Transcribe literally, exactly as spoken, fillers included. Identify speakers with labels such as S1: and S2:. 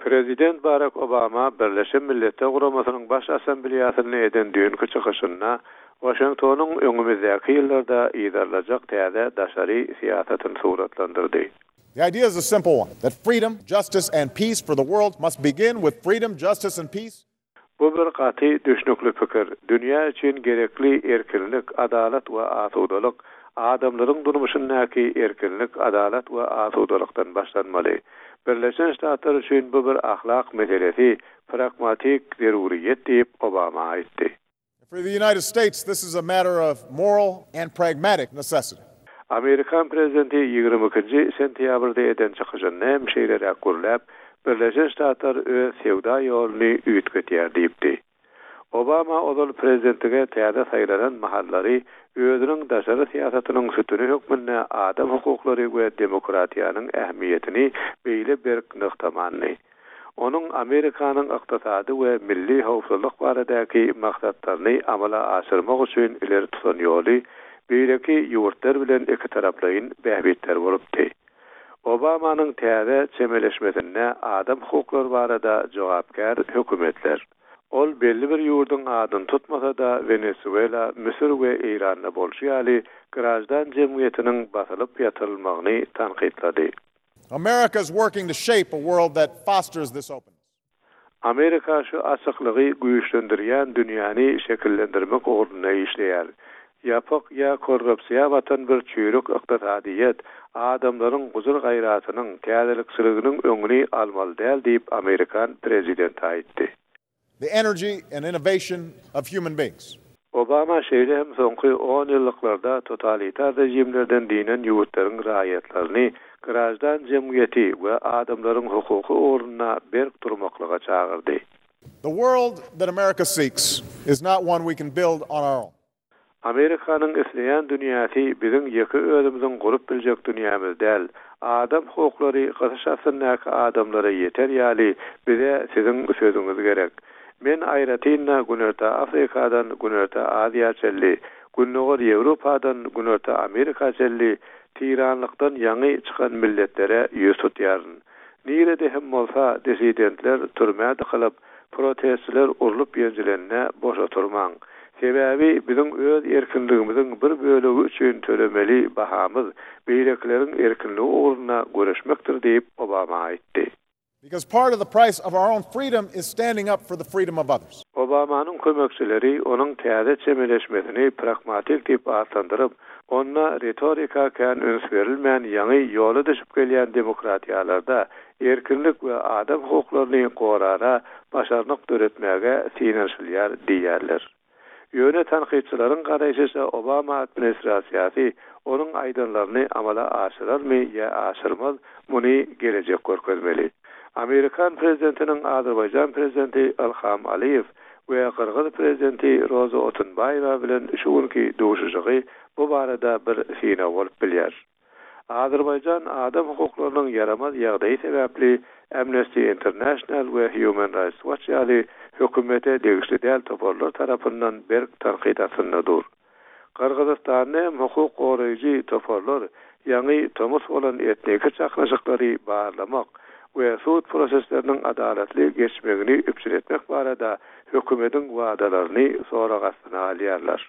S1: Prezident Barak Obama Birleşen Milletler Guramasynyň Baş Assambleýasynda eden düýnki çykyşynda Waşingtonyň öňümizdäki ýyllarda yzarlajak täze daşary syýasatyny suratlandyrdy.
S2: The idea is a simple one that freedom, justice, and peace for the world must begin with freedom, justice, and peace.
S1: Bu bir gaty düşnükli pikir. Dünýä üçin gerekli erkinlik, adalat we asudalyk, adamlaryň durmuşyndaky erkinlik, adalat we asudalykdan başlanmaly. Birleşen Ştatlar üçin bu bir ahlak meselesi, pragmatik zeruriyet diýip Obama aýtdy.
S2: For the United States, this is a matter of moral and pragmatic necessity.
S1: Amerikan prezidenti ýigrimi ikinji sentýabrda eden çykyşynda hem şeýleräk gürläp, Birleşen Ştatlar öz söwda ýoluny üýtgetýär diýipdi. Obama ozal prezidentlige täze saýlanan mahallary özüniň daşary syýasatynyň sütüni hökmünde adam hukuklary we demokratiýanyň ähmiýetini beýle berk nygtamandy. Onuň Amerikanyň ykdysady we milli howpsuzlyk baradaky maksatlaryny amala aşyrmak üçin ileri tutan ýoly beýleki ýurtlar bilen iki taraplaýyn bähbitler bolupdy. Obamanyň täze çemeleşmesinde adam hukuklary barada jogapkär hökümetler. Ol belli bir ýurduň adyny tutmasa-da Wenesuela, Müsür we Eýranda bolşy ýaly graždan jemgyýetiniň basylyp ýatyrylmagyny tankytlady.
S2: America is working to shape a world that fosters this openness.
S1: Amerika şu açyklygy güýçlendirýän dünýäni şekillendirmek ugrunda işleýär. Ýapyk ýa korrupsiýa batan bir çüýrük ykdysadyýet adamlaryň gujur gaýratynyň täzelikçiliginiň öňüni almaly däl diýip Amerikan prezidenti aýtdy.
S2: The energy and innovation of human beings.
S1: Obama şeýle hem soňky on ýyllyklarda totalitar rejimlerden dinen ýurtlaryň raýatlaryny graždan jemgyýeti we adamlaryň hukuky ugrunda berk durmaklyga çagyrdy.
S2: The world that America seeks is not one we can build on our own.
S1: Amerikanyň isleýän dünýäsi biziň ýeke özümiziň gurup biljek dünýämiz däl. Adam hukuklary gysyş astyndaky adamlara ýeter ýaly bize siziň sözüňiz gerek. Men aýratyn-da Günorta Afrikadan Günorta Aziýa çenli, Gündogar Ýewropadan Günorta Amerika çenli tiranlykdan ýaňy çykan milletlere ýüz tutýaryn. Nirede hem bolsa dissidentler türmä dykylyp, protestçiler urlup ýenjilende boş oturmaň. Sebäbi biziň öz erkinligimiziň bir bölegi üçin tölemeli bahamyz beýlekileriň erkinligi ugrunda göreşmekdir diýip Obama aýtdy.
S2: Because part of the price of our own freedom is standing up for the freedom of others.
S1: Obamanyň kömekçileri onuň täze çemeleşmesini pragmatik diýip atlandyryp, onda ritorika kän üns berilmän ýaňy ýola düşüp gelýän demokratiýalarda erkinlik we adam hukuklaryny gorara başarnyk döretmäge synanyşylýar diýýärler. Ýöne tankytçylaryň garaýşyça Obama administrasiýasy onuň aýdanlaryny amala aşyrarmy ýa aşyrmaz, muny gelejek görkezmeli. Amerikan prezidentiniň Azerbaýjan prezidenti Ilham Aliýew we Gyrgyz prezidenti Roza Otunbaýewa bilen şu günki duşuşygy bu barada bir synag bolup bilýär. Azerbaýjan adam hukuklarynyň ýaramaz ýagdaýy sebäpli Amnesty International we Human Rights Watch ýaly hökümete degişli däl toparlar tarapyndan berk tankyt astynda dur. Gyrgyzystanda hem hukuk goraýjy toparlar ýaňy tomus bolan etniki çaknyşyklary barlamak we sud prosesleriniň adalatly geçmegini üpjün etmek barada hökümetiň wadalaryny sorag astyna alýarlar.